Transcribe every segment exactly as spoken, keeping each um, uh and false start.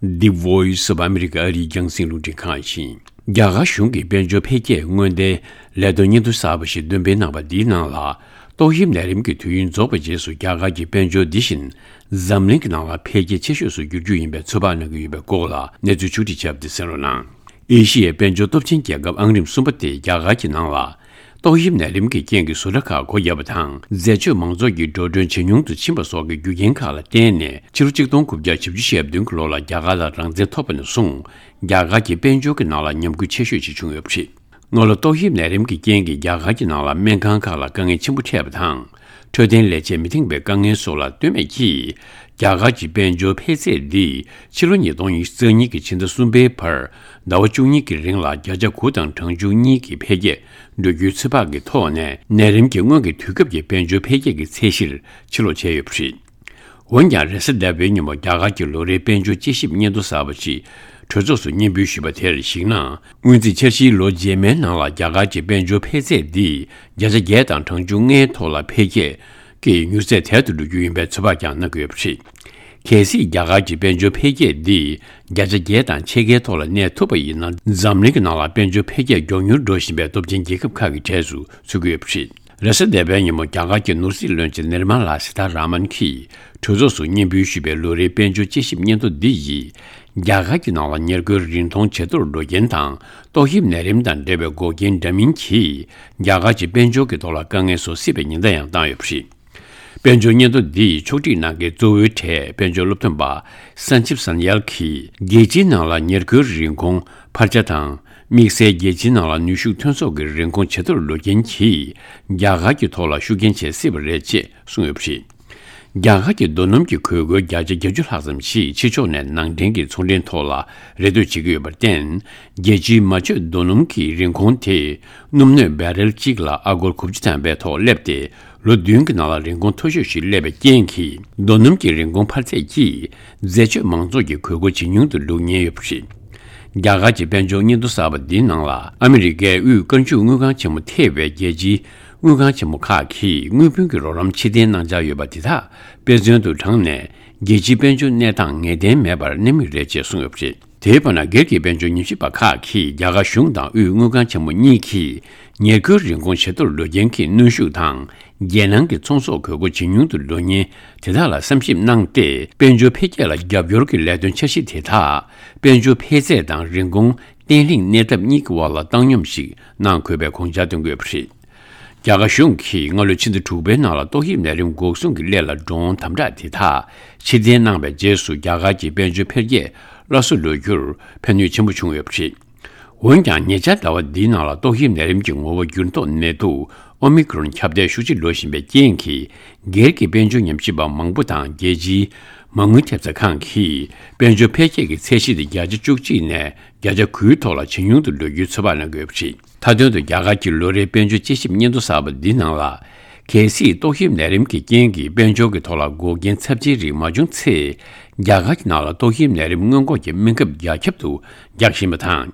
The Voice of America ཨ་རིའི་རྒྱང་སྲིང་རླུང་འཕྲིན་ཁང་ཡིན། རྒྱ་གར་གཞུང་གིས་དཔལ་འབྱོར་འཕེལ་རྒྱས་སྔོན་བརྡའི་ལས་དོན་སྙན་ཐོ་གསར་པ་ཞིག་འདོན་སྤེལ་གནང་བ་འདིའི་ནང་ལ། ཏོག་དབྱིབས་ནད་རིམས་ཀྱི་དུས་ཡུན་རྫོགས་པའི་རྗེས་སུ་རྒྱ་གར་གྱི་དཔལ་འབྱོར་འདི་བཞིན་འཛམ་གླིང་གི་ནང་ལ་འཕེལ་རྒྱས་ཆེ་ཤོས་སུ་འགྱུར་རྒྱུ་ཡིན་པའི་ཚོད་དཔག་གནང་གི་ཡོད་པའི་སྐོར་ལ་གནས་ཚུལ་ཕྱོགས་སྒྲིག་བྱས་པ་དེ་གསན་རོགས་གནང་། ཨེ་ཤི་ཡའི་དཔལ་འབྱོར་སྟོབས་ཆེན་རྒྱལ་ཁབ་ཨང་རིམ་གསུམ་པ་དེ་རྒྱ་གར་གྱི་ནང་ལ། ཏོག་དབྱིབས་ནད་རིམས་ཀྱི་རྐྱེན་གྱིས་བཟོ་གྲྭ་ཁག་སྒོ་བརྒྱབ་པ་དང་། འཛད་སྤྱོད་མང་ཚོགས་ཀྱི་འགྲོ་གྲོན་ཇེ་ཉུང་དུ་ཕྱིན་པ་སོགས་ཀྱི་རྒྱུ་རྐྱེན་ཁག་ལ་བརྟེན་ནས། ཕྱི་ལོ་གཅིག་སྟོང་དགུ་བརྒྱ་བཞི་བཅུ་ཞེ་བདུན་གྱི་ལོ་ལ་རྒྱ་གར་ལ་རང་བཙན་ཐོབ་པ་ནས་བཟུང་། རྒྱ་གར་གྱི་དཔལ་འབྱོར་གྱི་ནང་ལ་ཉམས་རྒུད་ཆེ་ཤོས་ཤིག་བྱུང་ཡོད་པ་རེད། སྔ་ལོ་ཏོག་དབྱིབས་ནད་རིམས་ཀྱི་རྐྱེན་གྱིས་རྒྱ་གར་གྱི་ནང་ལ་སྨན་ཁང་ཁག་ལ་དཀའ་ངལ་ཆེན་པོ་འཕྲད་པ་དང་། འཕྲོད་བསྟེན་ལས་བྱེད་མི་འཐེན་པའི་དཀའ་ངལ་སོགས་ལ་ལྟོས་མེད་ཀྱིས། རྒྱ་གར་གྱི་དཔལ་འབྱོར་འཕེལ་ཚད་འདི་ཕྱི་ལོ་ཉིས་སྟོང་ཉི་ཤུ་རྩ་གཉིས་ཀྱི་ཕྱི་ཟླ་གསུམ་པའི་བར་ཟླ་བ་བཅུ་གཉིས་ཀྱི་རིང་ལ་བརྒྱ་ཆ་དགུ་དང་གྲངས་ཆུང་གཉིས་ཀྱི་འཕེལ་རྒྱས་འགྲོ་རྒྱུའི་ཚོད་དཔག་གི་ཐོག་ནས། ནད་རིམས་ཀྱི་སྔོན་གྱི་དུས་སྐབས་ཀྱི་དཔལ་འབྱོར་འཕེལ་རྒྱས་ཀྱི་ཚད་གཞིར་ཕྱིར་ལོག་བྱས་ཡོད་པ་རེད། འོན་ཀྱང་། རེས་གཟའ་ཟླ་བའི་ཉིན་མོ་རྒྱ་གར་གྱི་ལོ་རེའི་དཔལ་འབྱོར་དཔྱད་ཞིབ་སྙན་ཐོ་གསར་པ་ཞིག་གྲོས་ཚོགས་སུ་སྙན་འབུལ་ཞུས་པ་དེར་གཞིགས་ན། སྔོན་རྩིས་འཆར་གཞིའི་ལོ་རྗེས་མའི་ནང་ལ་རྒྱ་གར་གྱི་དཔལ་འབྱོར་འཕེལ་ཚད་འདི་བརྒྱ་ཆ་བརྒྱད་དང་གྲངས་ཆུང་ལྔའི་ཐོག་ལ་འཕེལ་རྒྱས་ཀྱི་མྱུར་ཚད་དལ་དུ་འགྲོ་རྒྱུ་ཡིན་པའི་ཚོད་དཔག་ཀྱང་གནང་གི་ཡོད་པ་རེད། གལ་སྲིད་རྒྱ་གར་གྱི་དཔལ་འབྱོར་འཕེལ་རྒྱས་འདི་བརྒྱ་ཆ་བརྒྱད་དང་ཕྱེད་ཀའི་ཐོག་ལ་གནས་ཐུབ་པ་ཡིན་ན། འཛམ་གླིང་གི་ནང་ལ་དཔལ་འབྱོར་འཕེལ་རྒྱས་མགྱོགས་མྱུར་འགྲོ་བཞིན་པའི་སྟོབས་ཆེན་རྒྱལ་ཁབ་ཁག་གི་གྲས་སུ་ཚུད་ཀྱི་ཡོད་པ་རེད། རེས་གཟའ་ཟླ་བའི་ཉིན་མོ་རྒྱ་གར་གྱི་ནོར་སྲིད་བློན་ཆེན་ནིར་མ་ལ་སི་ཐ་ར་མན་གྱིས་གྲོས་ཚོགས་སུ་སྙན་འབུལ་ཞུས་པའི་ལོ་རེའི་དཔལ་འབྱོར་དཔྱད་ཞིབ་སྙན་ཐོ་འདི་ཡིས། རྒྱ་གར་གྱི་ནང་ལ་ཉེར་མཁོའི་རིན་གོང་ཇེ་མཐོར་འགྲོ་རྐྱེན་དང་། ཏོག་དབྱིབས་ནད་རིམས་དང་འབྲེལ་བའི་འགོག་རྐྱེན་འདྲ་མིན་གྱིས། རྒྱ་གར་གྱི་དཔལ་འབྱོར་གྱི་ཐོག་ལ་དཀའ་ངལ་བཟོ་སྲིད་པའི་ཉེན་བརྡ་ཡང་བཏང་ཡོད་པ་རེད། དཔལ་འབྱོར་སྙན་ཐོ་འདིས་ཕྱོགས་སྒྲིག་གནང་མཁན་གཙོ་བོའི་གྲས་དཔལ་འབྱོར་སློབ་སྟོན་པ་སན་ཅིབ་སན་ཡལ་གྱིས། རྒྱལ་སྤྱིའི་ནང་ལ་ཉེར་མཁོའི་རིན་གོང་འཕར་ཆ་དང་། དམིགས་བསལ་རྒྱལ་སྤྱིའི་ནང་ལ་ནུས་ཤུགས་ཐོན་ཟོག་གི་རིན་གོང་ཇེ་མཐོར་འགྲོ་རྐྱེན་གྱིས། རྒྱ་གར་གྱི་ཐོག་ལ་ཤུགས་རྐྱེན་བྱེད་སྲིད་པ་རེད་ཅེས་གསུངས་ཡོད་པ་རེད། རྒྱ་གར་གྱི་རྡོ་སྣུམ་གྱི་གོས་སྐོར་བརྒྱ་ཆ་བརྒྱད་ཅུ་ལྷག་ཙམ་ཞིག་ཕྱི་ཕྱོགས་ནས་ནང་འདྲེན་གྱི་ཚོང་འབྲེལ་ཐོག་ལ་རེ་ལྟོས་བྱེད་ཀྱི་ཡོད་པར་བརྟེན། རྒྱལ་སྤྱིའི་མ་བཅོས་རྡོ་སྣུམ་གྱི་རིན་གོང་དེ་སྣུམ་སྣོད་བེ་རེལ་གཅིག་ལ་ཨ་སྒོར་དགུ་བཅུ་ཐམ་པའི་ཐོག་སླེབས་ཏེ། ལོ་བདུན་གྱི་ནང་ལ་རིན་གོང་མཐོ་ཤོས་ཤིག་སླེབས་པའི་རྐྱེན་གྱིས། རྡོ་སྣུམ་གྱི་རིན་གོང་འཕར་ཚད་ཀྱིས་འཛད་སྤྱོད་མང་ཚོགས་ཀྱི་གོས་སྐོར་ཇེ་ཉུང་དུ་འགྲོ་ཉེན་ཡོད་པ་རེད། རྒྱ་གར་གྱི་དཔལ་འབྱོར་སྙན་ཐོ་གསར་པ་འདིའི་ནང་ལ། ཨ་མི་རི་ཀའི་དབུས་བཀའ་འཇུག་དངུལ་ཁང་ཆེན་མོ་ཐེ་བའི་རྒྱལ་སྤྱིའི་དངུལ་ཁང་ཆེན་མོ་ཁག་གིས་དངུལ་བུན་གྱི་རོགས་རམ་ཕྱིར་འཐེན་གནང་འཆར་ཡོད་པ་དེ་དག་དཔེ་མཚོན་དུ་དྲངས་ནས། རྒྱལ་སྤྱིའི་དཔལ་འབྱོར་གནས་སྟངས་ངེས་གཏན་མེད་པར་གནས་མུས་རེད་ཅེས་གསུངས་ཡོད་པ་རེད། དེའི་བར་ན། སྒེར་གྱི་དཔལ་འབྱོར་ཉམས་ཞིབ་པ་ཁག་གིས། རྒྱ་གར་གཞུང་དང་དབུས་དངུལ་ཁང་ཆེན་མོ་གཉིས་ཀྱིས། ཉེར་མཁོའི་རིན་གོང་ཇེ་མཐོར་འགྲོ་རྐྱེན་གྱིས། གནོན་ཤུགས་དང་། རྒྱལ་ནང་གི་ཚོང་ཟོག་གོས་སྐོར་ཇེ་ཉུང་དུ་འགྲོ་ཉེན་དེ་དག་ལ་བསམ་ཞིབ་གནང་སྟེ། དཔལ་འབྱོར་འཕེལ་རྒྱས་ལ་རྒྱབ་སྐྱོར་གྱི་ལས་དོན་འཆར་གཞི་དེ་དག་དཔལ་འབྱོར་འཕེལ་ཚད་དང་རིན་གོང་བརྟན་ལྷིང་གནས་ཐབས་གཉིས་ཀྱི་དབར་ལ་བཏང་སྙོམས་ཤིག་གནང་དགོས་པའི་དགོངས་འཆར་བཏོན་གྱི་ཡོད་པ་རེད། རྒྱ་གར་གཞུང་གིས་སྔ་ལོའི་ཕྱི་ཟླ་དྲུག་པའི་ནང་ལ་ཏོག་དབྱིབས་ནད་རིམས་འགོག་སྲུང་གི་སླད་ལ་འགྲོ་འོང་དམ་དྲག་དེ་དག་ཕྱིར་འཐེན་གནང་བའི་རྗེས་སུ། རྒྱ་གར་གྱི་དཔལ་འབྱོར་འཕེལ་རྒྱས་སླར་གསོ་འགྲོ་རྒྱུར་ཕན་ནུས་ཆེན་པོ་བྱུང་ཡོད་པ་རེད། འོན་ཀྱང་། ཉེ་ཆར་ཟླ་བ་འདིའི་ནང་ལ་ཏོག་དབྱིབས་ནད་རིམས་ཀྱི་ངོ་བོ་འགྱུར་ལྡོག་ནད་དུག་ཨོ་མི་ཀྲོན་ཁྱབ་གདལ་ཤུགས་ཆེ་འགྲོ་བཞིན་པའི་རྐྱེན་གྱིས། སྒེར་གྱི་དཔལ་འབྱོར་ཉམས་ཞིབ་པ་མང་པོ་དང་། རྒྱལ་སྤྱིའི་མ་དངུལ་ཐེབས་རྩ་ཁང་གིས། དཔལ་འབྱོར་འཕེལ་རྒྱས་ཀྱི་ཚད་གཞི་དེ་བརྒྱ་ཆ་བཅུ་གཅིག་ནས་བརྒྱ་ཆ་དགུའི་ཐོག་ལ་ཇེ་ཉུང་དུ་འགྲོ་རྒྱུའི་ཚོད་དཔག་གནང་གི་ཡོད་པ་རེད། མཐའ་དོན་དུ། རྒྱ་གར་གྱི་ལོ་རེའི་དཔལ་འབྱོར་དཔྱད་ཞིབ་སྙན་ཐོ་གསར་པ་འདིའི་ནང་ལ། གལ་སྲིད་ཏོག་དབྱིབས་ནད་རིམས་ཀྱི་རྐྱེན་གྱིས་དཔལ་འབྱོར་གྱི་ཐོག་ལ་འགོག་རྐྱེན་ཚབས་ཆེའི་རིགས་མ་བྱུང་ཚེ། རྒྱ་གར་གྱི་ནང་ལ་ཏོག་དབྱིབས་ནད་རིམས་སྔོན་འགོག་གི་སྨན་ཁབ་རྒྱ་ཁྱབ་ཏུ་རྒྱག་བཞིན་པ་དང་།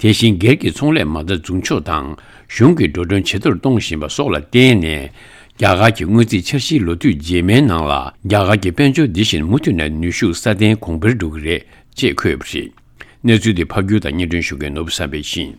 དེ་བཞིན་སྒེར་གྱི་ཚོང་ལས་མ་རྩ་འཛུགས་ཕྱོགས་དང་། གཞུང་གི་འགྲོ་གྲོན་ཇེ་མཐོར་གཏོང་བཞིན་པ་སོགས་ལ་བརྟེན་ནས། རྒྱ་གར་གྱི་སྔོན་རྩིས་འཆར་གཞིའི་ལོ་དུས་རྗེས་མའི་ནང་ལ། རྒྱ་གར་གྱི་དཔལ་འབྱོར་འདི་བཞིན་མུ་མཐུད་ནས་ནུས་ཤུགས་སྲ་བརྟན་གོང་འཕེལ་འགྲོ་གི་རེད་ཅེས་འཁོད་ཡོད་པ་རེད། གནས་ཚུལ་འདི་ཕབ་སྒྱུར་དང་སྙན་སྒྲོན་ཞུ་མཁན་ནོར་བུ་བསམ་འཕེལ་ཡིན།